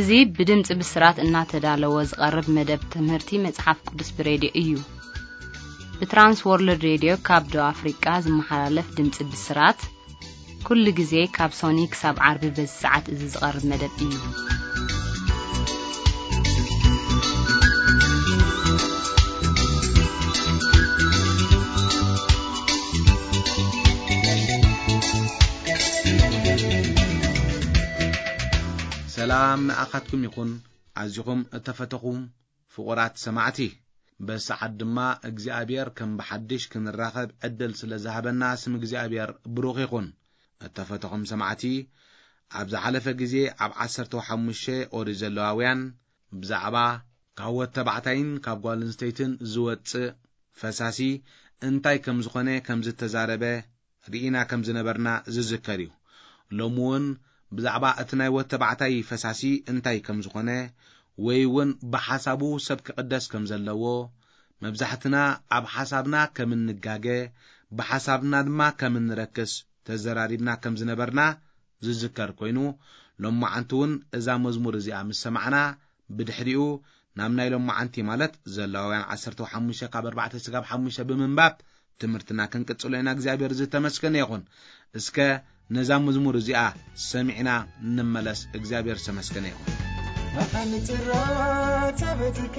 እዚ ብድምፂ ብስራት እናተዳለወ ዝቐርብ መደብ ትምህርቲ መፅሓፍ ቅዱስ ብሬድዮ እዩ። ብትራንስ ወርልድ ሬድዮ ካብ ደቡብ ኣፍሪቃ ዝመሓላለፍ ድምፂ ብስራት፣ ኩሉ ግዜ ካብ ሶኒ ክሳብ ዓርቢ በዚ ሰዓት እዚ ዝቐርብ መደብ እዩ። ሰላም ንኣኻትኩም ይኹን። ኣዚኹም እተፈተኹም ፍቑራት ሰማዕቲ፣ በዚ ሰዓት ድማ እግዚኣብሔር ከም ብሓድሽ ክንራኸብ ዕድል ስለ ዝሃበና ስም እግዚኣብሔር ብሩኽ ይኹን። እተፈተኹም ሰማዕቲ፣ ኣብ ዝሓለፈ ግዜ ኣብ ዓሰርተ ሓሙሽተ ኦሪት ዘለዋውያን ብዛዕባ ካብ ወድ ተባዕታይን ካብ ጓል ኣንስተይትን ዝወጽእ ፈሳሲ እንታይ ከም ዝኾነ ከም ዝተዛረበ ርኢና ከም ዝነበርና ዝዝከር እዩ። ሎሚ እውን ብዛዕባ እቲ ናይ ወድ ተባዕታይ ፈሳሲ እንታይ ከም ዝኾነ ወይ እውን ብሓሳቡ ሰብ ክቕደስ ከም ዘለዎ፣ መብዛሕትና ኣብ ሓሳብና ከም እንጋገ፣ ብሓሳብና ድማ ከም እንረክስ ተዘራሪብና ከም ዝነበርና ዝዝከር ኮይኑ፣ ሎማዓንቲ እውን እዛ መዝሙር እዚኣ ምስ ሰማዕና፣ ብድሕሪኡ ናብ ናይ ሎማዓንቲ ማለት ዘለዋውያን ዓሰርተ ሓሙሽተ ካብ ኣርባዕተ ስጋብ ሓሙሽተ ብምንባብ ትምህርትና ክንቅጽሎ ኢና። እግዚኣብሔር ዝተመስገነ ይኹን። እስከ ነዛ መዝሙር እዚኣ ሰሚዕና ንመለስ። እግዚኣብሔር ዝተመስገነ ይኹን። መቐንጥራ ተበድከ፣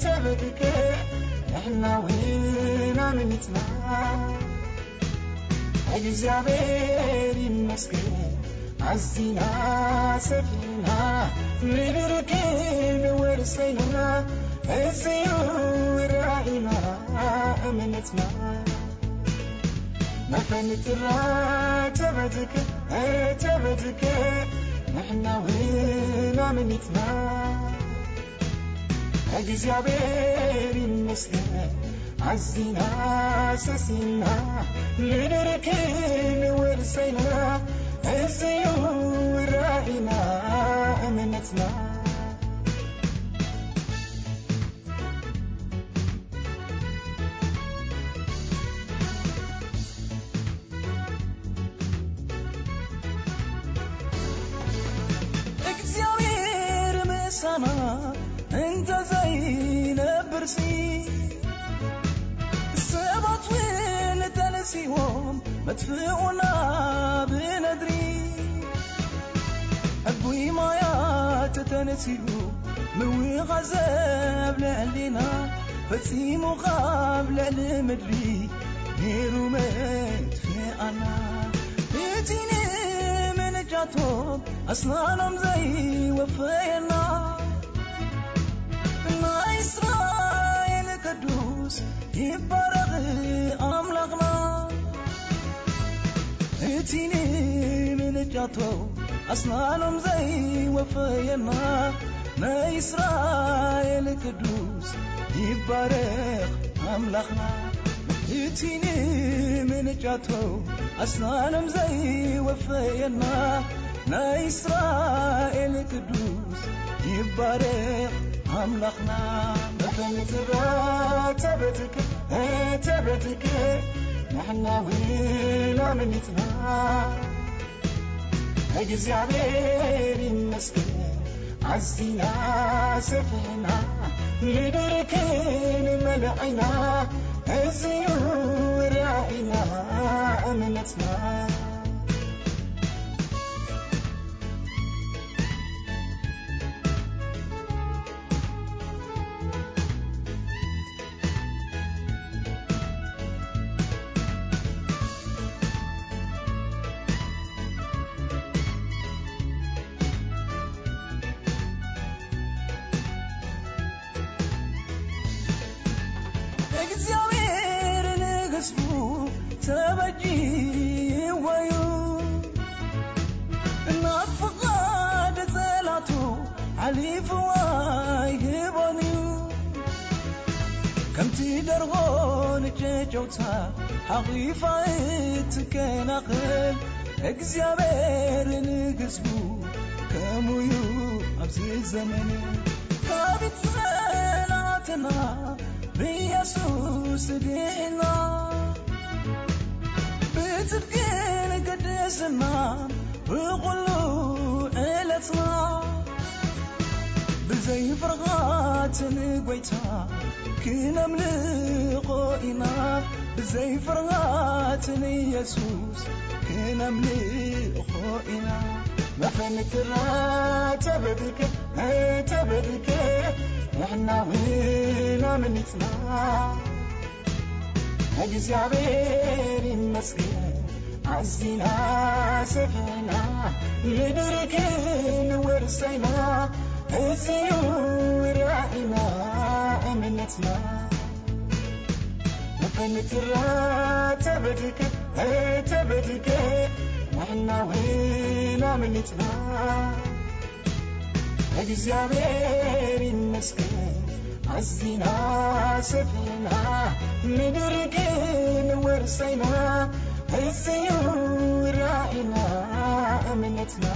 ተበድከ፣ ንሕና እውን ኣመኒትና። እግዚኣብሔር ይመስገን፣ ኣዚና ሰፊና፣ ምድር ክንወርስ ኮይና፣ እዚዩ ራእይና፣ እምነትና። መፈንጥራ ተበድከ፣ ተበድከ፣ ንሕና እውን ኣመኒትና። እግዚኣብሔር ይመስገን፣ ኣዚና ሰሲና፣ ምድር ክንወርስ ኮይና፣ እዚዩ ራእይና፣ እምነትና። እግዚኣብሔር ምሳና እንተ ዘይነብርሲ፣ ሰባት እውን ተነሲዎም መጥፍኡና ብነድሪ። ዕቡይ ማያት ተነሲኡ ምውኻዘ ኣብ ልዕሊና፣ ፈጺሙ ካብ ልዕሊ ምድሪ ነይሩ መጥፍኣና። እቲ ንምንጫቶም ኣስናኖም ዘይወፈየና፣ ናይ እስራኤል ቅዱስ ይባረኽ ኣምላኽና። እቲ ንምንጫቶ ኣስናኖም ዘይወፈየና፣ ናይ እስራኤል ቅዱስ ይባረኽ ኣምላኽና። እቲ ንምንጫቶ ኣስናኖም ዘይወፈየና፣ ናይ እስራኤል ቅዱስ ይባረኽ ኣምላኽና። መፈንጥራ ተበድከ፣ ተበድከ፣ ንሕና እውን ኣመኒትና። እግዚኣብሔር ይመስገን፣ ኣዚና ሰፊሕና፣ ምድር ክንመልዕና፣ እዚዩ ራእይና፣ እምነትና። እግዚኣብሔር ንህዝቡ ተበጅዎ እዩ። ናብ ፍቓድ ጸላእቱ ሓሊፉ ኣይህቦን እዩ። ከምቲ ደርሆ ንጨጨውታ ሓቒፋ እትከናኸን፣ እግዚኣብሔር ንህዝቡ ከምኡ እዩ ኣብዚ ዘመን። ካብ ጸላእትና ብኢየሱስ ድሒና፣ ብጽድቅን ቅድስናን ብኹሉ ዕለትና። ዘይፍርሃት ንጎይታ ክነምልኾ ኢና፣ ብዘይፍርሃት ንየሱስ ክነምልኾ ኢና። መፈንክራ ተበድከ፣ ተበድከ፣ ንሕና እውን ኣምሊጥና። እግዚኣብሔር ይመስገን ኣዚና ሰፊሕና፣ ምድሪ ክንወርስ ኢና፣ እዚ እዩ ራእይና እምነትና። መፈንክራ ተበድከ፣ ተበድከ፣ ንሕና እውን ኣምሊጥና። እግዚኣብሔር ይመስገን ኣዚና ሰፊሕና፣ ምድሪ ክንወርስ ኢና፣ እዚ እዩ ራእይና እምነትና።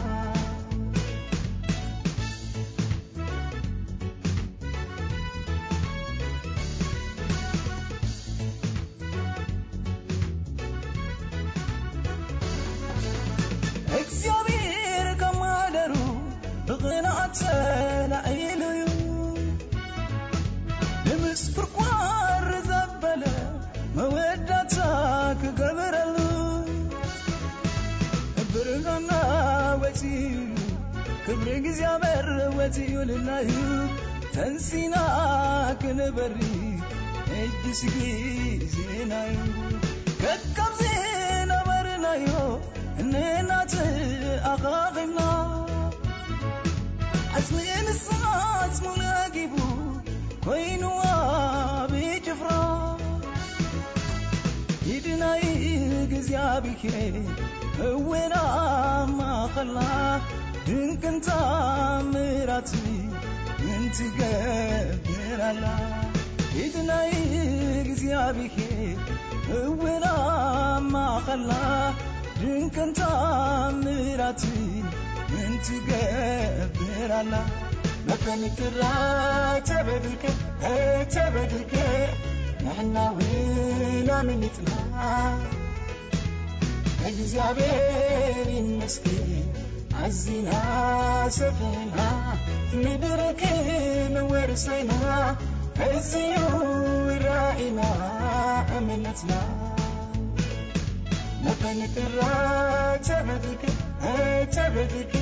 እግዚኣብሔር ካብ ማሕደሩ ብቕንዓት ተላዒሉ እዩ። ንምስኩርኳር ዘበለ መወዳእታ ክገብረሉ፣ ብርሃንና ወፂኡ እዩ፣ ክብሪ እግዚኣብሔር ወፂኡልና እዩ። ተንሲና ክንበሪ ሕጂስ ግዜና እዩ። ከካብ ዝነበርናዮ ንናት ኣኻኺብና፣ ዓጽሚ ንስኻስ ሙሉ ኣጊቡ ኮይኑ ኣብ ጭፍራ። ኢድ ናይ እግዚኣብሔር እውን ኣብ ማእኸልና ድንቅን ተኣምራት ምን ትገብር ኣላ። ኢድ ናይ እግዚኣብሔር እውን ኣብ ማእኸልና ድንቅን ተኣምራት ምን ትገብር ኣላ። መፈንክራ ተበድከ፣ ተበድከ፣ ንሕና እውን ኣምሊጥና። እግዚኣብሔር ይመስገን ኣዚና ሰፊሕና፣ ምድሪ ክንወርስ ኢና፣ እዚ እዩ ራእይና እምነትና። መፈንክራ ተበድከ፣ ተበድከ፣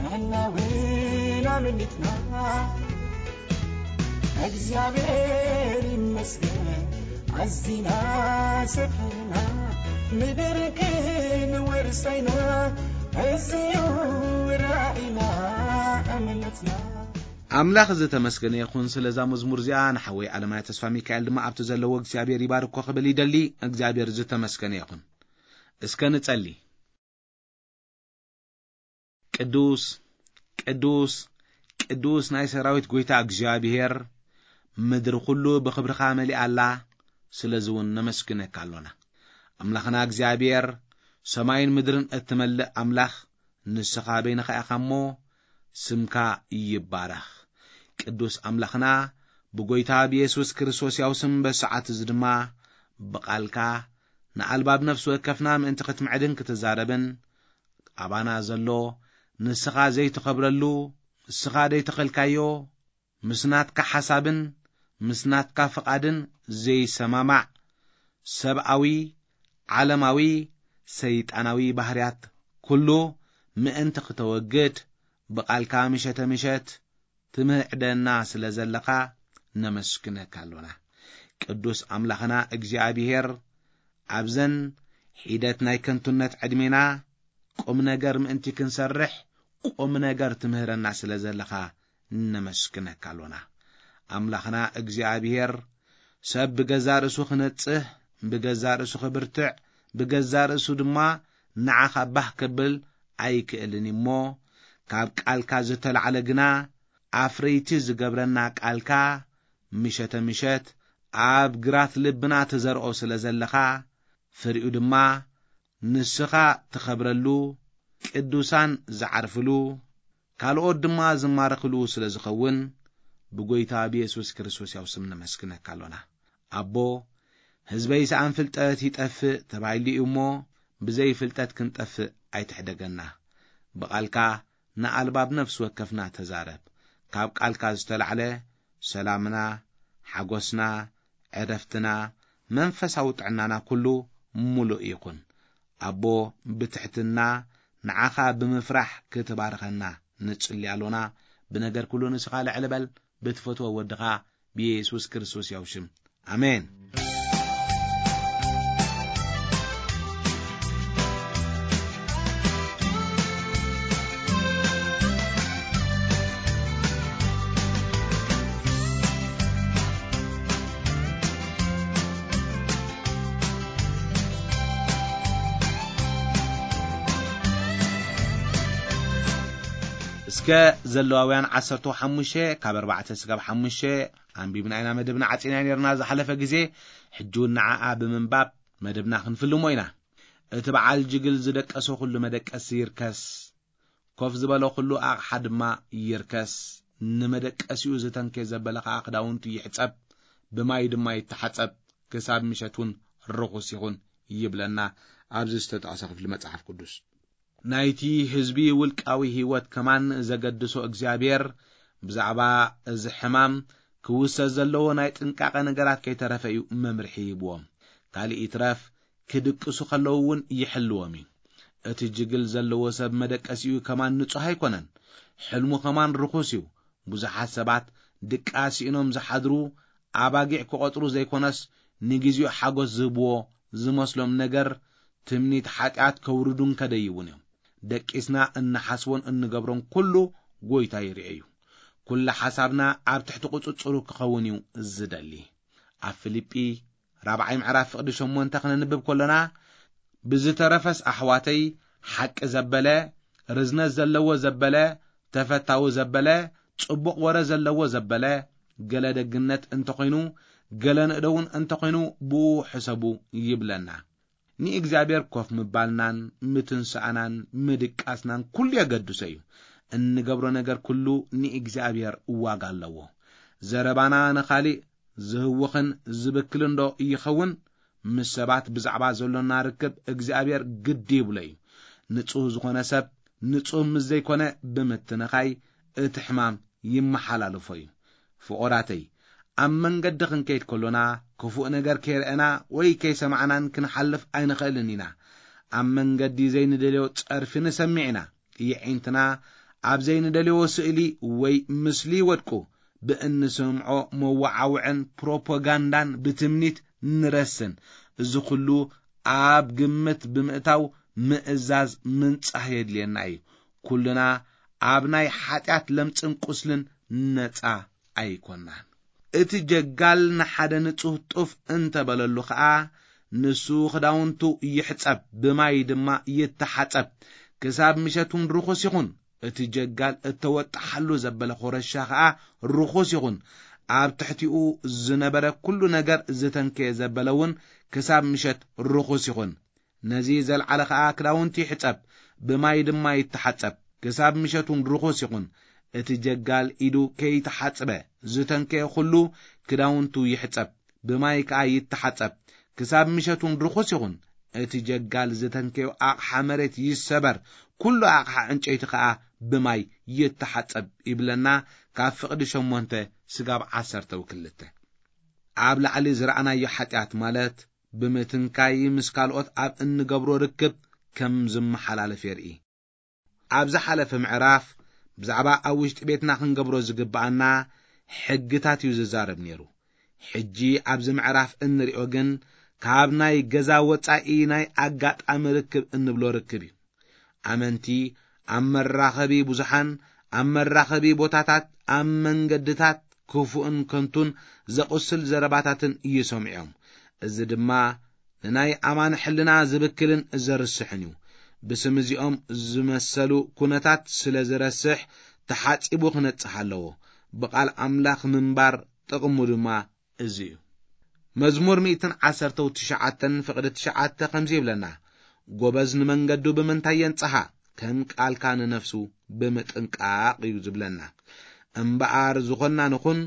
ንሕና እውን ኣምሊጥና። እግዚኣብሔር ይመስገን ኣዚና ሰፊሕና፣ ምድሪ ክንወርስ ኢና፣ እዚ እዩ ራእይና እምነትና። ኣምላኽ ዝተመስገነ ይኹን። ስለዛ መዝሙር እዚኣ ንሓወይ ኣለማይ ተስፋ ሚካኤል ድማ ኣብቲ ዘለዎ እግዚኣብሔር ይባርኮ ክብል ይደሊ። እግዚኣብሔር ዝተመስገነ ይኹን። እስከ ንጸሊ። ቅዱስ፣ ቅዱስ፣ ቅዱስ ናይ ሰራዊት ጐይታ እግዚኣብሔር፣ ምድሪ ኹሉ ብኽብርኻ መሊኣ ኣላ። ስለዚ እውን ነመስግነካ ኣሎና። ኣምላኽና እግዚኣብሔር፣ ሰማይን ምድርን እትመልእ ኣምላኽ፣ ንስኻ በይንኻ ኢኻ እሞ፣ ስምካ ይባረኽ። ቅዱስ ኣምላኽና፣ ብጐይታ ብየሱስ ክርስቶስ ያው ስም በሰዓት እዚ ድማ፣ ብቓልካ ንኣልባብ ነፍሲ ወከፍና ምእንቲ ክትምዕድን ክትዛረብን፣ ኣባና ዘሎ ንስኻ ዘይትኸብረሉ፣ ንስኻ ዘይተኸልካዮ፣ ምስ ናትካ ሓሳብን ምስ ናትካ ፍቓድን ዘይሰማማዕ ሰብኣዊ፣ ዓለማዊ፣ ሰይጣናዊ ባህርያት ኩሉ ምእንቲ ክተወግድ ብቓልካ ምሸተ ምሸት ትምህዕደና ስለ ዘለኻ ነመስግነካ ኣሎና። ቅዱስ ኣምላኽና እግዚኣብሔር ኣብዘን ሒደት ናይ ከንቱነት ዕድሜና ቁም ነገር ምእንቲ ክንሰርሕ ቁም ነገር ትምህረና ስለ ዘለኻ ነመስግነካ ኣሎና። ኣምላኽና እግዚኣብሔር ሰብ ብገዛ ርእሱ ክነጽህ፣ ብገዛ ርእሱ ክብርትዕ፣ ብገዛ ርእሱ ድማ ንዓኻ ባህ ከብል ኣይክእልን እሞ ካብ ቃልካ ዝተላዕለ ግና ኣፍረይቲ ዝገብረና ቃልካ ምሸተ ምሸት ኣብ ግራት ልብና ትዘርኦ ስለ ዘለኻ ፍሪኡ ድማ ንስኻ ትኸብረሉ፣ ቅዱሳን ዝዓርፍሉ፣ ካልኦት ድማ ዝማረኽሉ ስለ ዝኸውን ብጎይታ ብየሱስ ክርስቶስ ያው ስም ነመስግነካ ኣሎና። ኣቦ፣ ህዝበይ ሰኣን ፍልጠት ይጠፍእ ተባሂሉ እዩ እሞ ብዘይ ፍልጠት ክንጠፍእ ኣይትሕደገና። ብቓልካ ንኣልባብ ነፍሲ ወከፍና ተዛረብ። ካብ ቃልካ ዝተላዕለ ሰላምና፣ ሓጎስና፣ ዕረፍትና፣ መንፈሳዊ ጥዕናና ኩሉ ምሉእ ይኹን። ኣቦ፣ ብትሕትና ንዓኻ ብምፍራሕ ክትባርኸና ንጽሊ ኣሎና። ብነገር ኩሉ ንስኻ ልዕሊ በል፣ ብትፈትዎ ወድኻ ብየሱስ ክርስቶስ ያው ሽም። ኣሜን። እስከ ዘለዋውያን ዓሰርተ ሓሙሽተ ካብ ኣርባዕተ ስጋብ ሓሙሽተ ኣንቢብና ኢና፣ መደብና ዓጺና ነርና ዝሓለፈ ግዜ። ሕጂ እውን ንዓኣ ብምንባብ መደብና ክንፍልሞ ኢና። እቲ በዓል ጅግል ዝደቀሶ ኩሉ መደቀሲ ይርከስ፣ ኮፍ ዝበሎ ኩሉ ኣቕሓ ድማ ይርከስ። ንመደቀሲኡ ዝተንከየ ዘበለ ኸኣ ክዳውንቱ ይሕጸብ፣ ብማይ ድማ ይተሓጸብ፣ ክሳብ ምሸት እውን ርኹስ ይኹን ይብለና ኣብዚ ዝተጠቕሰ ክፍሊ መጽሓፍ ቅዱስ። ናይቲ ህዝቢ ውልቃዊ ህይወት ከማን ዘገድሶ እግዚኣብሔር ብዛዕባ እዚ ሕማም ክውሰድ ዘለዎ ናይ ጥንቃቐ ነገራት ከይተረፈ እዩ መምርሒ ይህብዎም። ካልእ ይትረፍ ክድቅሱ ከለዉ እውን ይሕልዎም እዩ። እቲ ጅግል ዘለዎ ሰብ መደቀሲኡ ከማን ንጹሕ ኣይኮነን። ሕልሙ ከማን ርኹስ እዩ። ብዙሓት ሰባት ድቃስ ስኢኖም ዝሓድሩ ኣባጊዕ ክቖጽሩ ዘይኮነስ ንግዜኡ ሓጎስ ዝህብዎ ዝመስሎም ነገር ትምኒት ሓጢኣት ከውርዱ እንከደይውን እዮም። ደቂስና እንሓስቦን እንገብሮን ኩሉ ጎይታ ይርኤ እዩ። ኩሉ ሓሳብና ኣብ ትሕቲ ቁጽጽሩ ክኸውን እዩ ዝደሊ። ኣብ ፊልጲ ራብዓይ ምዕራፍ ፍቕዲ ሸሞንተ ክነንብብ ከሎና፣ ብዝተረፈስ ኣሕዋተይ፣ ሓቂ ዘበለ፣ ርዝነት ዘለዎ ዘበለ፣ ተፈታዊ ዘበለ፣ ጽቡቕ ወረ ዘለዎ ዘበለ፣ ገለ ደግነት እንተኾይኑ፣ ገለ ንእደውን እንተኾይኑ፣ ብኡ ሕሰቡ ይብለና። ንእግዚኣብሔር ኮፍ ምባልናን ምትንሳእናን ምድቃስናን ኩሉ የገድሶ እዩ። እንገብሮ ነገር ኩሉ ንእግዚኣብሔር ዋጋ ኣለዎ። ዘረባና ንኻሊእ ዝህውኽን ዝብክልን ዶ ይኸውን? ምስ ሰባት ብዛዕባ ዘሎና ርክብ እግዚኣብሔር ግዲ ይብሎ እዩ። ንጹህ ዝኾነ ሰብ ንጹህ ምስ ዘይኮነ ብምትንኻይ እቲ ሕማም ይመሓላልፎ እዩ። ፍቑራተይ፣ ኣብ መንገዲ ክንከይድ ከሎና ክፉእ ነገር ከይረኣና ወይ ከይሰማዕናን ክንሓልፍ ኣይንኽእልን ኢና። ኣብ መንገዲ ዘይንደልዮ ጸርፊ ንሰምዕ ኢና። የዒንትና ኣብ ዘይንደልዮ ስእሊ ወይ ምስሊ ይወድቁ። ብእንሰምዖ መወዓውዕን ፕሮፓጋንዳን ብትምኒት ንረስን። እዚ ኩሉ ኣብ ግምት ብምእታው ምእዛዝ ምንጻህ የድልየና እዩ። ኩልና ኣብ ናይ ሓጢኣት ለምጽን ቁስልን ነጻ ኣይኮናን። እቲ ጀጋል ንሓደ ንጹህ ጡፍ እንተበለሉ ኸኣ፣ ንሱ ክዳውንቱ ይሕጸብ፣ ብማይ ድማ ይተሓጸብ፣ ክሳብ ምሸት እውን ርኹስ ይኹን። እቲ ጀጋል እተወጥሓሉ ዘበለ ኾረሻ ኸኣ ርኹስ ይኹን። ኣብ ትሕቲኡ ዝነበረ ኩሉ ነገር ዝተንከየ ዘበለ እውን ክሳብ ምሸት ርኹስ ይኹን። ነዚ ዘልዓለ ኸኣ ክዳውንቲ ይሕጸብ፣ ብማይ ድማ ይተሓጸብ፣ ክሳብ ምሸት እውን ርኹስ ይኹን። እቲ ጀጋል ኢዱ ከይተሓጽበ ዝተንከየ ኩሉ ክዳውንቱ ይሕጸብ፣ ብማይ ከኣ ይተሓጸብ፣ ክሳብ ምሸት እውን ርኹስ ይኹን። እቲ ጀጋል ዝተንከዮ ኣቕሓ መሬት ይሰበር፣ ኩሉ ኣቕሓ ዕንጨይቲ ከኣ ብማይ ይተሓጸብ ይብለና፣ ካብ ፍቕዲ ሸሞንተ ስጋብ ዓሰርተ ወክልተ። ኣብ ላዕሊ ዝረኣናዮ ሓጢኣት ማለት ብምትንካይ ምስ ካልኦት ኣብ እንገብሮ ርክብ ከም ዝመሓላለፍ የርኢ። ኣብ ዝሓለፈ ምዕራፍ ብዛዕባ ኣብ ውሽጢ ቤትና ክንገብሮ ዝግብኣና ሕግታት እዩ ዝዛረብ ነይሩ። ሕጂ ኣብዚ ምዕራፍ እንሪኦ ግን ካብ ናይ ገዛ ወጻኢ ናይ ኣጋጣሚ ርክብ እንብሎ ርክብ እዩ። ኣመንቲ ኣብ መራኸቢ ብዙሓን፣ ኣብ መራኸቢ ቦታታት፣ ኣብ መንገድታት ክፉእን ከንቱን ዘቑስል ዘረባታትን ይሰምዑ እዮም። እዚ ድማ ንናይ ኣማን ሕልና ዝብክልን ዘርስሕን እዩ። ብስም እዚኦም ዝመሰሉ ኩነታት ስለ ዝረስሕ ተሓጺቡ ክነጽህ ኣለዎ። ብቓል ኣምላኽ ምንባር ጥቕሙ ድማ እዚ እዩ። መዝሙር ሚእትን ዓሰርተው ትሽዓተን ፍቕዲ ትሽዓተ ከምዚ ይብለና፣ "ጎበዝ ንመንገዱ ብምንታይ የንጽሃ? ከም ቃልካ ንነፍሱ ብምጥንቃቕ" እዩ ዝብለና። እምበኣር ዝኾንና ንኹን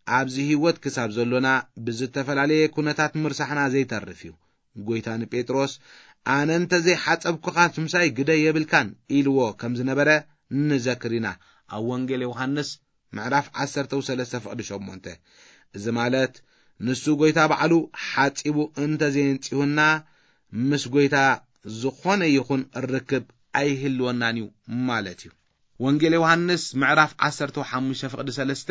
ኣብዚ ህይወት ክሳብ ዘሎና ብዝተፈላለየ ኩነታት ምርሳሕና ዘይተርፍ እዩ። ጎይታ ንጴጥሮስ፣ "ኣነ እንተ ዘይሓጸብኩኻስ ምሳይ ግደ የብልካን" ኢልዎ ከም ዝነበረ ንዘክር ኢና። ኣብ ወንጌል ዮሃንስ ምዕራፍ ዓሰርተ ሰለስተ ፍቕዲ ሸሞንተ። እዚ ማለት ንሱ ጐይታ ባዕሉ ሓጺቡ እንተዘየንጺሁና ምስ ጐይታ ዝኾነ ይኹን ርክብ ኣይህልወናን እዩ ማለት እዩ። ወንጌል ዮሃንስ ምዕራፍ ዓሰርተ ሓሙሽተ ፍቕዲ ሰለስተ፣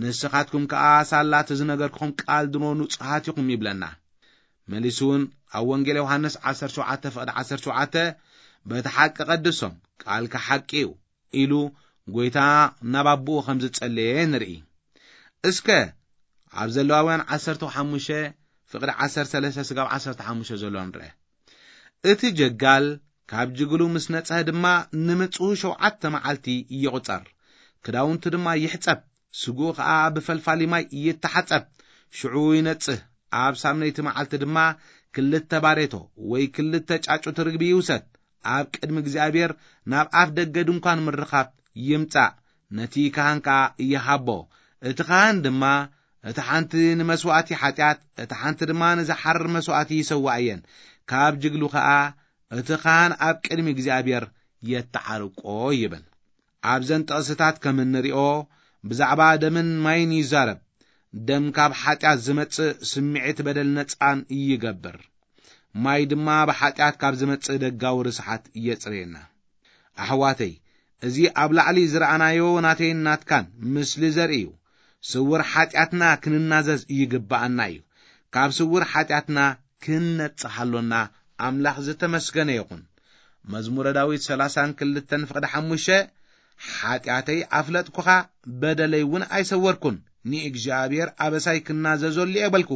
"ንስኻትኩም ከኣ ሳላ እቲ ዝነገርኩኹም ቃል ድሮ ንጹሃት ኢኹም" ይብለና። መሊሱ እውን ኣብ ወንጌል ዮሃንስ ዓሰርተ ሸውዓተ ፍቕዲ ዓሰርተ ሸውዓተ፣ "በቲ ሓቂ ቀድሶም፣ ቃልካ ሓቂ እዩ" ኢሉ ጐይታ ናብ ኣቦኡ ከም ዝጸለየ ንርኢ። እስከ ኣብ ዘለዋውያን ዓሰርተ ሓሙሽተ ፍቕዲ ዓሰርተ ሰለስተ ስጋብ ዓሰርተ ሓሙሽተ ዘሎ ንርአ። እቲ ጀጋል ካብ ጅግሉ ምስ ነጽሀ ድማ ንምጽኡ ሸውዓተ መዓልቲ ይቑጸር፣ ክዳውንቱ ድማ ይሕጸብ፣ ስግኡ ኸኣ ብፈልፋሊ ማይ ይተሓጸብ። ሽዑ ይነጽህ፣ ኣብ ሳምነይቲ መዓልቲ ድማ ክልተ ባሬቶ ወይ ክልተ ጫጩት ርግቢ ይውሰድ፣ ኣብ ቅድሚ እግዚኣብሔር ናብ ኣፍ ደገ ድንኳን ምርኻብ ይምጻእ፣ ነቲ ካህን ከኣ ይሃቦ። እቲ ካህን ድማ እቲ ሓንቲ ንመስዋእቲ ሓጢኣት፣ እቲ ሓንቲ ድማ ንዝሓርር መስዋእቲ ይሰውኣየን። ካብ ጅግሉ ከኣ እቲ ካህን ኣብ ቅድሚ እግዚኣብሔር የተዓርቆ" ይብል። ኣብዘን ጥቕስታት ከም እንሪኦ ብዛዕባ ደምን ማይን ይዛረብ። ደም ካብ ሓጢኣት ዝመጽእ ስምዒት በደል ነጻን ይገብር። ማይ ድማ ብሓጢኣት ካብ ዝመጽእ ደጋዊ ርስሓት የጽርየና። ኣሕዋተይ፣ እዚ ኣብ ላዕሊ ዝረኣናዮ ናተይን ናትካን ምስሊ ዘርኢ እዩ። ስውር ሓጢኣትና ክንናዘዝ ይግብኣና እዩ። ካብ ስውር ሓጢኣትና ክንነጽህ ኣሎና። ኣምላኽ ዝተመስገነ ይኹን። መዝሙረ ዳዊት ሰላሳን ክልተን ፍቕዲ ሓሙሽተ፣ "ሓጢኣተይ ኣፍለጥኩኻ፣ በደለይ እውን ኣይሰወርኩን። ንእግዚኣብሔር ኣበሳይ ክናዘዘሉ እየ በልኩ፣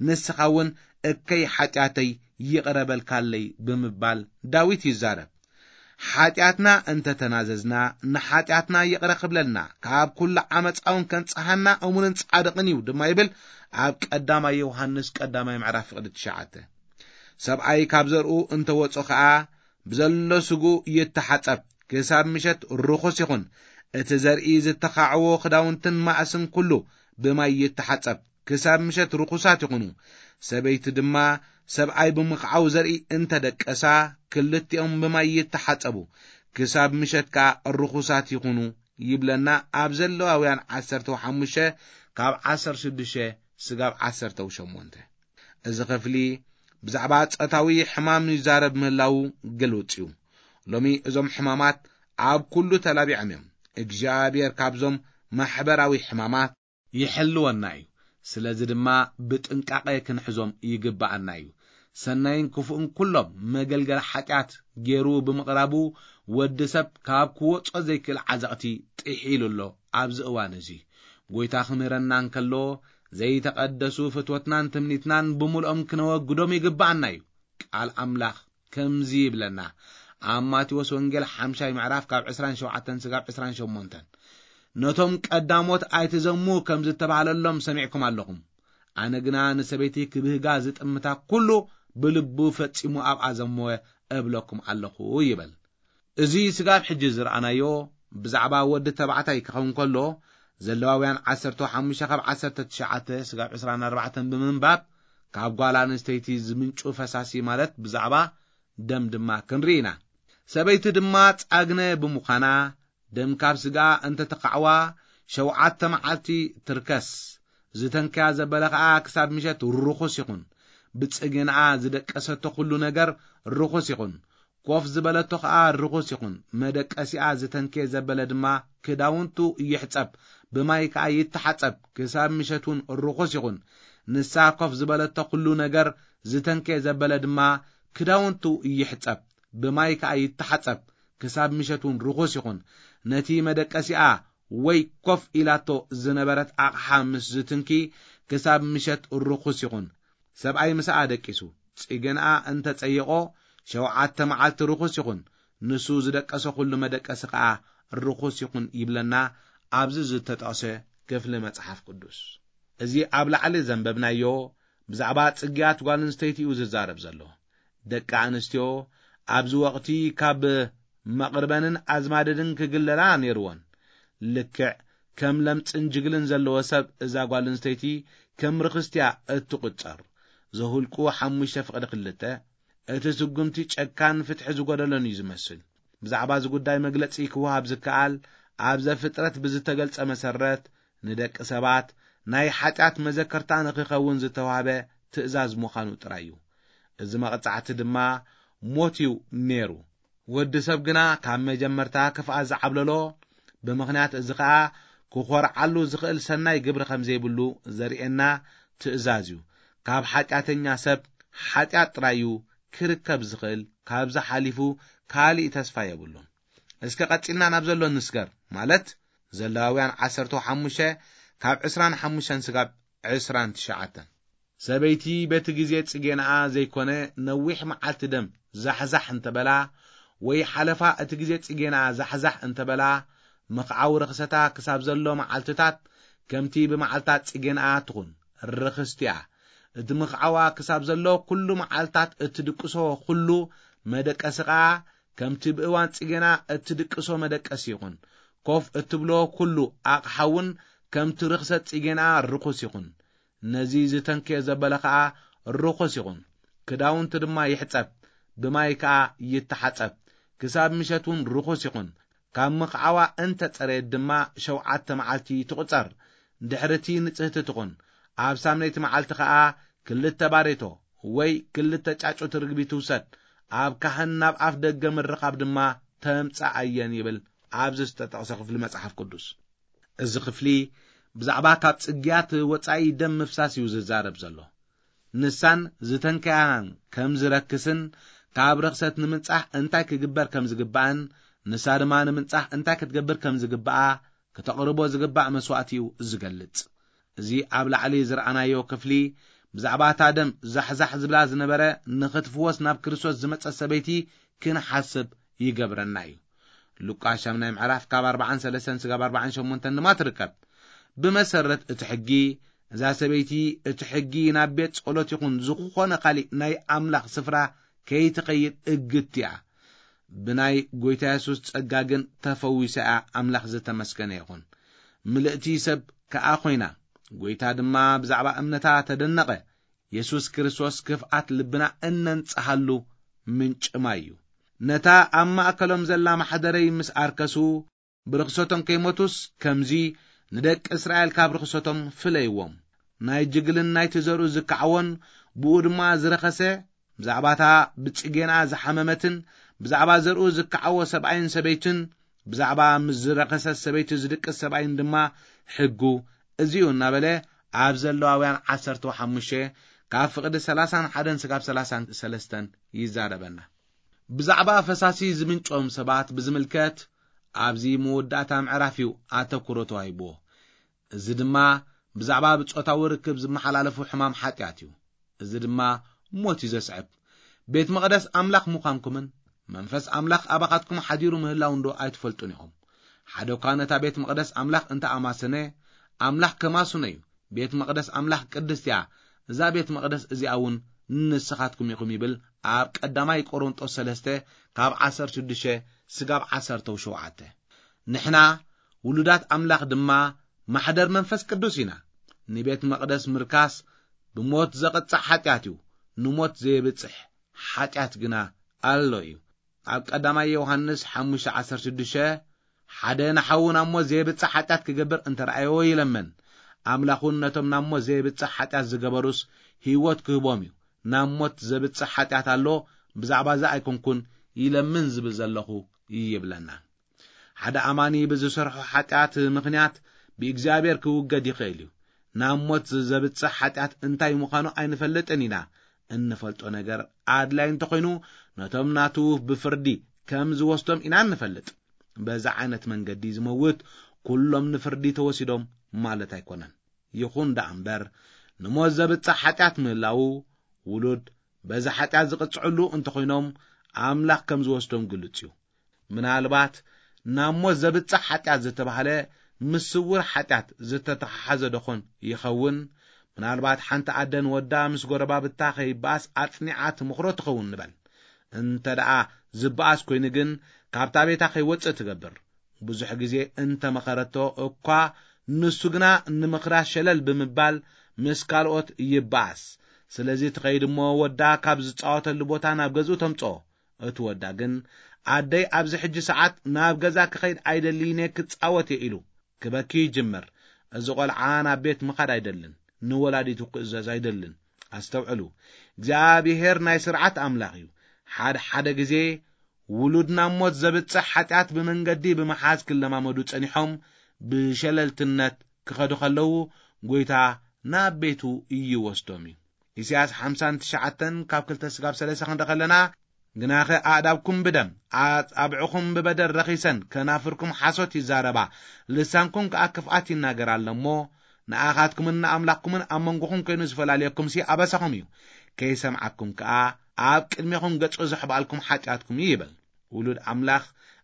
ንስኻ እውን እከይ ሓጢኣተይ ይቕረ በልካለይ" ብምባል ዳዊት ይዛረብ። ሓጢኣትና እንተ ተናዘዝና፣ ንሓጢኣትና ይቕረ ክብለልና፣ ካብ ኩሉ ዓመጻ እውን ከንጽሃና እሙንን ጻድቕን እዩ ድማ ይብል ኣብ ቀዳማይ ዮሃንስ ቀዳማይ ምዕራፍ ፍቕዲ ትሽዓተ። ሰብኣይ ካብ ዘርኡ እንተ ወጾ ኸኣ፣ ብዘሎ ስጉ ይተሓጸብ፣ ክሳብ ምሸት ርኹስ ይኹን። እቲ ዘርኢ ዝተኻዕዎ ክዳውንትን ማእስን ኩሉ ብማይ ይተሓጸብ፣ ክሳብ ምሸት ርኹሳት ይኹኑ። ሰበይቲ ድማ ሰብኣይ ብምኽዓው ዘርኢ እንተ ደቀሳ፣ ክልቲኦም ብማይ ይተሓጸቡ፣ ክሳብ ምሸት ከኣ ርኹሳት ይኹኑ ይብለና ኣብ ዘለዋውያን ዓሰርተ ሓሙሽተ ካብ ዓሰርተ ሽዱሽተ ስጋብ ዓሰርተ ሸሞንተ። እዚ ክፍሊ ብዛዕባ ጾታዊ ሕማም ይዛረብ ምህላዉ ግሉጽ እዩ። ሎሚ እዞም ሕማማት ኣብ ኩሉ ተላቢዖም እዮም። እግዚኣብሔር ካብዞም ማሕበራዊ ሕማማት ይሕልወና እዩ። ስለዚ ድማ ብጥንቃቐ ክንሕዞም ይግብኣና እዩ። ሰናይን ክፉእን ኩሎም መገልገሊ ሓጢኣት ገይሩ ብምቕራቡ፣ ወዲ ሰብ ካብ ክወጾ ዘይክእል ዓዘቕቲ ጥሒሉ ኣሎ። ኣብዚ እዋን እዚ፣ ጐይታ ክምህረና እንከሎ፣ ዘይተቐደሱ ፍትወትናን ትምኒትናን ብምልኦም ክነወግዶም ይግብኣና እዩ። ቃል ኣምላኽ ከምዚ ይብለና፣ ኣብ ማቴዎስ ወንጌል ሓምሻይ ምዕራፍ ካብ ዕስራን ሸውዓተን ስጋብ ዕስራን ሸሞንተን፣ "ነቶም ቀዳሞት ኣይትዘሙ ከም ዝተባህለሎም ሰሚዕኩም ኣለኹም። ኣነ ግና ንሰበይቲ ክብህጋ ዝጥምታ ኩሉ ብልቡ ፈጺሙ ኣብኣ ዘመወ እብለኩም ኣለኹ" ይበል። እዚ ስጋብ ሕጂ ዝረኣናዮ ብዛዕባ ወዲ ተባዕታይ ክኸውን ከሎ፣ ዘለዋውያን ዓሰርተ ሓሙሽተ ካብ ዓሰርተ ትሽዓተ ስጋብ ዕስራን ኣርባዕተን ብምንባብ፣ ካብ ጓል ኣንስተይቲ ዝምንጩ ፈሳሲ ማለት ብዛዕባ ደም ድማ ክንርኢ ኢና። ሰበይቲ ድማ ጻግነ ብምዃና፣ ደም ካብ ስጋ እንተ ተኻዕዋ፣ ሸውዓተ መዓልቲ ትርከስ። ዝተንከያ ዘበለ ኸኣ ክሳብ ምሸት ርኹስ ይኹን። ብጽግንኣ ዝደቀሰቶ ኩሉ ነገር ርኹስ ይኹን። ኮፍ ዝበለቶ ኸኣ ርኹስ ይኹን። መደቀሲኣ ዝተንከየ ዘበለ ድማ ክዳውንቱ ይሕጸብ፣ ብማይ ከኣ ይተሓጸብ፣ ክሳብ ምሸት እውን ርኹስ ይኹን። ንሳ ኮፍ ዝበለቶ ኩሉ ነገር ዝተንከየ ዘበለ ድማ ክዳውንቱ ይሕጸብ፣ ብማይ ከኣ ይተሓጸብ፣ ክሳብ ምሸት እውን ርኹስ ይኹን። ነቲ መደቀሲኣ ወይ ኮፍ ኢላቶ ዝነበረት ኣቕሓ ምስ ዝትንኪ፣ ክሳብ ምሸት ርኹስ ይኹን። ሰብኣይ ምስኣ ደቂሱ፣ ጽግንኣ እንተ ጸይቖ፣ ሸውዓተ መዓልቲ ርኹስ ይኹን። ንሱ ዝደቀሰ ኩሉ መደቀሲ ከኣ ርኹስ ይኹን ይብለና ኣብዚ ዝተጠቕሰ ክፍሊ መጽሓፍ ቅዱስ። እዚ ኣብ ላዕሊ ዘንበብናዮ ብዛዕባ ጽግያት ጓል ኣንስተይቲ እዩ ዝዛረብ ዘሎ። ደቂ ኣንስትዮ ኣብዚ ወቕቲ ካብ መቕርበንን ኣዝማድንን ክግለላ ነይርወን። ልክዕ ከም ለምጽን ጅግልን ዘለዎ ሰብ እዛ ጓል ኣንስተይቲ ከም ርኽስቲ እያ እትቑጸር። ዘሁልቁ ሓሙሽተ ፍቕዲ ክልተ፣ እቲ ስጉምቲ ጨካን ፍትሒ ዝጎደሎን እዩ ዝመስል። ብዛዕባ እዚ ጉዳይ መግለጺ ክወሃብ ዝከኣል ኣብ ዘፍጥረት ብዝተገልጸ መሰረት ንደቂ ሰባት ናይ ሓጢኣት መዘከርታ ንኽኸውን ዝተዋህበ ትእዛዝ ምዃኑ ጥራይ እዩ። እዚ መቕጻዕቲ ድማ ሞት እዩ ነይሩ። ወዲ ሰብ ግና ካብ መጀመርታ ክፍኣት ዝዓብለሎ፣ ብምኽንያት እዚ ኸኣ ክኾርዓሉ ዝኽእል ሰናይ ግብሪ ከም ዘይብሉ ዘርእየና ትእዛዝ እዩ። ካብ ሓጢኣተኛ ሰብ ሓጢኣት ጥራይ እዩ ክርከብ ዝኽእል፣ ካብዚ ሓሊፉ ካሊእ ተስፋ የብሉን። እስከ ቀጺልና ናብ ዘሎ ንስገር፣ ማለት ዘለዋውያን ዓሰርተ ሓሙሽተ ካብ ዕስራን ሓሙሽተን ስጋብ ዕስራን ትሽዓተን። ሰበይቲ በቲ ግዜ ጽጌናኣ ዘይኮነ ነዊሕ መዓልቲ ደም ዛሕዛሕ እንተበላ፣ ወይ ሓለፋ እቲ ግዜ ጽጌናኣ ዛሕዛሕ እንተበላ፣ ምኽዓው ርኽሰታ ክሳብ ዘሎ መዓልትታት ከምቲ ብመዓልታት ጽጌናኣ ትኹን ርኽስቲ እያ። እቲ ምኽዓዋ ክሳብ ዘሎ ኩሉ መዓልታት እትድቅሶ ኩሉ መደቀሲ ኸኣ ከምቲ ብእዋን ጽጌና እትድቅሶ መደቀሲ ይኹን። ኮፍ እትብሎ ኩሉ ኣቕሓ እውን ከምቲ ርኽሰት ጽጌና ርኹስ ይኹን። ነዚ ዝተንክየ ዘበለ ኸኣ ርኹስ ይኹን። ክዳውንቲ ድማ ይሕጸብ፣ ብማይ ከኣ ይተሓጸብ። ክሳብ ምሸት እውን ርኹስ ይኹን። ካብ ምኽዓዋ እንተ ጸረየት ድማ ሸውዓተ መዓልቲ ትቑጸር። ድሕርቲ ንጽህቲ ትኹን። ኣብ ሳምነይቲ መዓልቲ ኸኣ ክልተ ባሬቶ ወይ ክልተ ጫጩት ርግቢ ትውሰድ። ኣብ ካህን ናብ ኣፍ ደገ ምርኻብ ድማ ተምጽኣየን ይብል ኣብዚ ዝተጠቕሰ ክፍሊ መጽሓፍ ቅዱስ። እዚ ክፍሊ ብዛዕባ ካብ ጽግያት ወጻኢ ደም ምፍሳስ እዩ ዝዛረብ ዘሎ። ንሳን ዝተንከያን ከም ዝረክስን ካብ ርኽሰት ንምንጻህ እንታይ ክግበር ከም ዝግባእን ንሳ ድማ ንምንጻህ እንታይ ክትገብር ከም ዝግባኣ ክተቕርቦ ዝግባእ መስዋእቲ እዩ ዝገልጽ። እዚ ኣብ ላዕሊ ዝረኣናዮ ክፍሊ ብዛዕባ እታ ደም ዛሕዛሕ ዝብላ ዝነበረ ንኽትፍወስ ናብ ክርስቶስ ዝመጸት ሰበይቲ ክንሓስብ ይገብረና እዩ። ሉቃስ ሻምናይ ምዕራፍ ካብ ኣርባዓን ሰለስተን ስጋብ ኣርባዓን ሸሞንተን ድማ ትርከብ። ብመሰረት እቲ ሕጊ፣ እዛ ሰበይቲ እቲ ሕጊ ናብ ቤት ጸሎት ይኹን ዝኾነ ካሊእ ናይ ኣምላኽ ስፍራ ከይትኸይድ እግድቲ እያ። ብናይ ጐይታ የሱስ ጸጋ ግን ተፈዊሳ እያ። ኣምላኽ ዝተመስገነ ይኹን። ምልእቲ ሰብ ከኣ ኾይና። ጐይታ ድማ ብዛዕባ እምነታ ተደነቐ። የሱስ ክርስቶስ ክፍኣት ልብና እነንጽሃሉ ምንጪ ማይ እዩ። ነታ ኣብ ማእከሎም ዘላ ማሕደረይ ምስ ኣርከሱ፣ ብርኽሰቶም ከይሞቱስ፣ ከምዚ ንደቂ እስራኤል ካብ ርኽሰቶም ፍለይዎም። ናይ ጅግልን ናይቲ ዘርኡ ዝከዓዎን፣ ብኡ ድማ ዝረኸሰ፣ ብዛዕባ እታ ብጽጌና ዝሓመመትን፣ ብዛዕባ ዘርኡ ዝከዓዎ ሰብኣይን ሰበይትን፣ ብዛዕባ ምስ ዝረኸሰት ሰበይቲ ዝድቅስ ሰብኣይን ድማ ሕጉ እዚ እዩ እናበለ፣ ኣብ ዘለዋውያን ዓሰርተ ሓሙሽተ ካብ ፍቕዲ ሰላሳን ሓደን ስጋብ ሰላሳን ሰለስተን ይዛረበና። ብዛዕባ ፈሳሲ ዝምንጮም ሰባት ብዝምልከት ኣብዚ መወዳእታ ምዕራፍ እዩ ኣተኩሮ ተዋሂብዎ። እዚ ድማ ብዛዕባ ብጾታዊ ርክብ ዝመሓላለፉ ሕማም ሓጢኣት እዩ። እዚ ድማ ሞት እዩ ዘስዕብ። ቤት መቕደስ ኣምላኽ ምዃንኩምን መንፈስ ኣምላኽ ኣባኻትኩም ሓዲሩ ምህላው እንዶ ኣይትፈልጡን ኢኹም። ሓደ እኳ ነታ ቤት መቕደስ ኣምላኽ እንተ ኣማሰነ፣ ኣምላኽ ከማስኖ እዩ። ቤት መቕደስ ኣምላኽ ቅድስቲ እያ። እዛ ቤት መቕደስ እዚኣ እውን ንስኻትኩም ኢኹም ይብል ኣብ ቀዳማይ ቆሮንጦስ ሰለስተ ካብ ዓሰርተ ሽዱሽተ ስጋብ ዓሰርተ ሸውዓተ። ንሕና ውሉዳት ኣምላኽ ድማ ማሕደር መንፈስ ቅዱስ ኢና። ንቤት መቕደስ ምርካስ ብሞት ዘቕጽዕ ሓጢኣት እዩ። ንሞት ዘየብጽሕ ሓጢኣት ግና ኣሎ እዩ። ኣብ ቀዳማይ ዮሃንስ ሓሙሽተ ዓሰርተ ሽዱሽተ፣ ሓደ ንሓዉ ናብ ሞት ዘየብጽሕ ሓጢኣት ክገብር እንተ ረኣዮ ይለምን። ኣምላኽ እውን ነቶም ናብ ሞት ዘየብጽሕ ሓጢኣት ዝገበሩስ ህይወት ክህቦም እዩ። ናብ ሞት ዘብጽሕ ሓጢኣት ኣሎ፣ ብዛዕባ እዚ ኣይኮንኩን ይለምን ዝብል ዘለኹ ይብለና። ሓደ ኣማኒ ብዝሰርሖ ሓጢኣት ምኽንያት ብእግዚኣብሔር ክውገድ ይኽእል እዩ። ናብ ሞት ዘብጽሕ ሓጢኣት እንታይ ምዃኑ ኣይንፈልጥን ኢና። እንፈልጦ ነገር ኣድላይ እንተኾይኑ፣ ነቶም ናቱ ብፍርዲ ከም ዝወስዶም ኢና እንፈልጥ። በዛ ዓይነት መንገዲ ዝመውት ኩሎም ንፍርዲ ተወሲዶም ማለት ኣይኮነን። ይኹን ደኣ እምበር፣ ንሞት ዘብጽሕ ሓጢኣት ምህላዉ፣ ውሉድ በዚ ሓጢኣት ዝቕጽዕሉ እንተኾይኖም፣ ኣምላኽ ከም ዝወስዶም ግሉጽ እዩ። ምናልባት ናብ ሞት ዘብጽሕ ሓጢኣት ዝተባህለ ምስ ስውር ሓጢኣት ዝተተሓሓዘ ደኾን ይኸውን? ምናልባት ሓንቲ ኣደ ንወዳ ምስ ጎረባብታ ከይበኣስ ኣጽኒዓ ትመኽሮ ትኸውን ንበል። እንተ ደኣ ዝበኣስ ኮይኑ ግን፣ ካብታ ቤታ ከይወጽእ ትገብር። ብዙሕ ግዜ እንተ መኸረቶ እኳ፣ ንሱ ግና ንምኽራ ሸለል ብምባል ምስ ካልኦት ይበኣስ። ስለዚ ትኸይድ እሞ፣ ወዳ ካብ ዝጻወተሉ ቦታ ናብ ገዝኡ ተምጽኦ። እቲ ወዳ ግን፣ "ኣደይ ኣብዚ ሕጂ ሰዓት ናብ ገዛ ክኸይድ ኣይደልይን እየ፣ ክጻወት እየ" ኢሉ ክበኪ ይጅምር። እዚ ቆልዓ ናብ ቤት ምኻድ ኣይደልን፣ ንወላዲቱ ክእዘዝ ኣይደልን። ኣስተውዕሉ፣ እግዚኣብሔር ናይ ስርዓት ኣምላኽ እዩ። ሓደ ሓደ ግዜ ውሉድ ናብ ሞት ዘብጽሕ ሓጢኣት ብመንገዲ ብምሓዝ ክለማመዱ ጸኒሖም ብሸለልትነት ክኸዱ ከለዉ፣ ጎይታ ናብ ቤቱ ይወስዶም እዩ። ኢሳያስ ሓምሳን ትሽዓተን ካብ ክልተ ስጋብ ሰለስተ ክንደ ከለና፣ "ግናኸ ኣእዳብኩም ብደም፣ ኣጻብዕኹም ብበደል ረኺሰን፣ ከናፍርኩም ሓሶት ይዛረባ፣ ልሳንኩም ከኣ ክፍኣት ይናገር ኣሎ እሞ፣ ንኣኻትኩምን ንኣምላኽኩምን ኣብ መንጎኹም ኮይኑ ዝፈላልየኩምሲ ኣበሳኹም እዩ። ከይሰምዓኩም ከኣ ኣብ ቅድሜኹም ገጹ ዘሕባልኩም ሓጢኣትኩም እዩ" ይብል። ውሉድ ኣምላኽ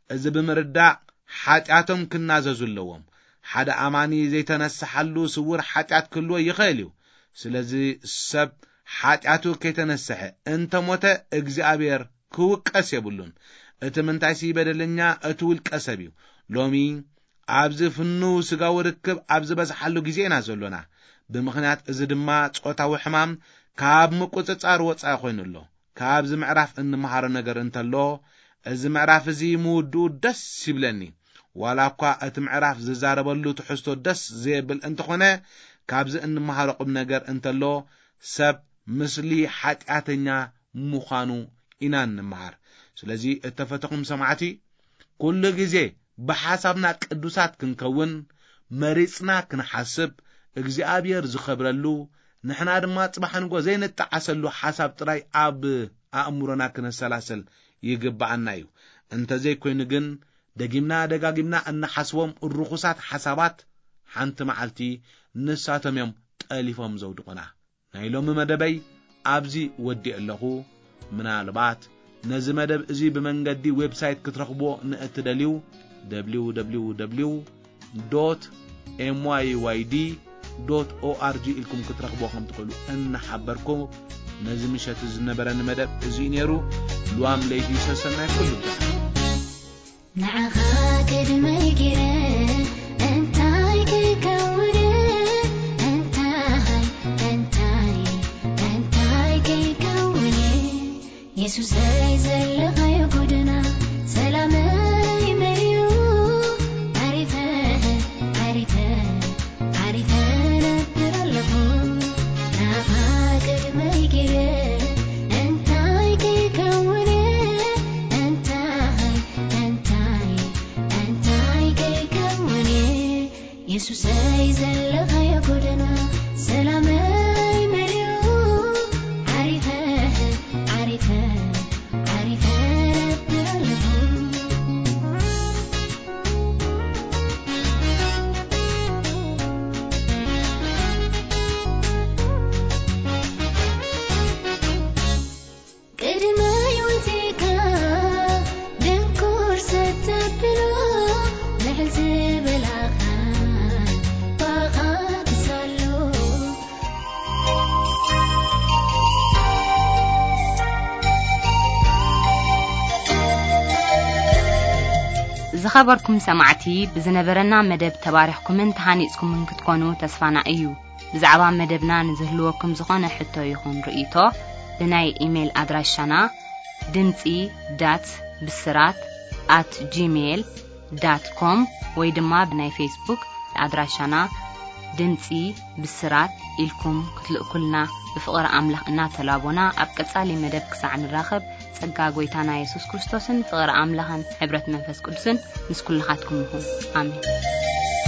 እዚ ብምርዳእ ሓጢኣቶም ክናዘዙ ኣለዎም። ሓደ ኣማኒ ዘይተነስሓሉ ስውር ሓጢኣት ክህልዎ ይኽእል እዩ። ስለዚ ሰብ ሓጢኣቱ ከይተነስሐ እንተሞተ እግዚኣብሔር ክውቀስ የብሉን። እቲ ምንታይሲ በደለኛ እቲ ውልቀ ሰብ እዩ። ሎሚ ኣብዚ ፍኑው ስጋዊ ርክብ ኣብ ዝበዝሓሉ ግዜ ኢና ዘሎና። ብምኽንያት እዚ ድማ ጾታዊ ሕማም ካብ ምቁጽጻር ወጻኢ ኮይኑ ኣሎ። ካብዚ ምዕራፍ እንመሃሮ ነገር እንተሎ፣ እዚ ምዕራፍ እዚ ምውድኡ ደስ ይብለኒ። ዋላ እኳ እቲ ምዕራፍ ዝዛረበሉ ትሕዝቶ ደስ ዘየብል እንተኾነ፣ ካብዚ እንመሃሮ ቁም ነገር እንተሎ፣ ሰብ ምስሊ ሓጢኣተኛ ምዃኑ ኢና እንመሃር። ስለዚ እተፈተኹም ሰማዕቲ፣ ኩሉ ግዜ ብሓሳብና ቅዱሳት ክንከውን መሪጽና ክንሓስብ፣ እግዚኣብሔር ዝኸብረሉ፣ ንሕና ድማ ጽባሕ ንጎ ዘይንጠዓሰሉ ሓሳብ ጥራይ ኣብ ኣእምሮና ክነሰላስል ይግብኣና እዩ። እንተዘይኮይኑ ግን፣ ደጊምና ደጋጊምና እንሓስቦም ርኹሳት ሓሳባት፣ ሓንቲ መዓልቲ ንሳቶም እዮም ጠሊፎም ዘውድቑና። ናይ ሎሚ መደበይ ኣብዚ ወዲእ ኣለኹ። ምናልባት ነዚ መደብ እዚ ብመንገዲ ዌብሳይት ክትረኽብዎ ንእትደልዩ፣ www dot myyd dot org ኢልኩም ክትረኽብዎ ከም ትኽእሉ እናሓበርኩ፣ ነዚ ምሸት ዝነበረኒ መደብ እዚ እዩ ነይሩ። ልዋም ለይቲ ሰሰናይ ኩሉ። ንዓኻ ቅድመይ ገይረ እንታይ ክከውን? እንታይ፣ እንታይ፣ እንታይ ክከውን? የሱሰይ ዘለኻዮ ጎደና ሰላመይ መሊኡ። ዓሪፈ፣ ዓሪፈ፣ ዓሪፈ ነብር ኣለኹ። ናኻ ቅድመይ ገይረ እንታይ ክከውን? እንታይ፣ እንታይ፣ እንታይ ክከውን? የሱሰይ ዘለኻዮ ጎደና ሰላመይ መሊኡ። ዓሪፈ፣ ዓሪፈ፣ ዓሪፈ ነብር ኣለኹ። ቅድመይ ወጺእካ ድንኩር ሰተብሎ፣ ልዕል ዝበላኻ ባኻ ክሳሎ። ዝኸበርኩም ሰማዕቲ፣ ብዝነበረና መደብ ተባሪኽኩምን ተሃኒጽኩምን ክትኮኑ ተስፋና እዩ። ብዛዕባ መደብና ንዝህልወኩም ዝኾነ ሕቶ ይኹን ርእይቶ፣ ብናይ ኢሜይል ኣድራሻና ድምጺ ዳት ብስራት ኣት ጂሜይል ዳት ኮም ወይ ድማ ብናይ ፌስቡክ ኣድራሻና ድምጺ ብስራት ኢልኩም ክትልእኩልና ብፍቕሪ ኣምላኽ እናተላቦና፣ ኣብ ቀጻሊ መደብ ክሳዕ ንራኸብ፣ ጸጋ ጐይታና የሱስ ክርስቶስን ፍቕሪ ኣምላኽን ሕብረት መንፈስ ቅዱስን ምስ ኩልኻትኩም ይኹን። ኣሜን።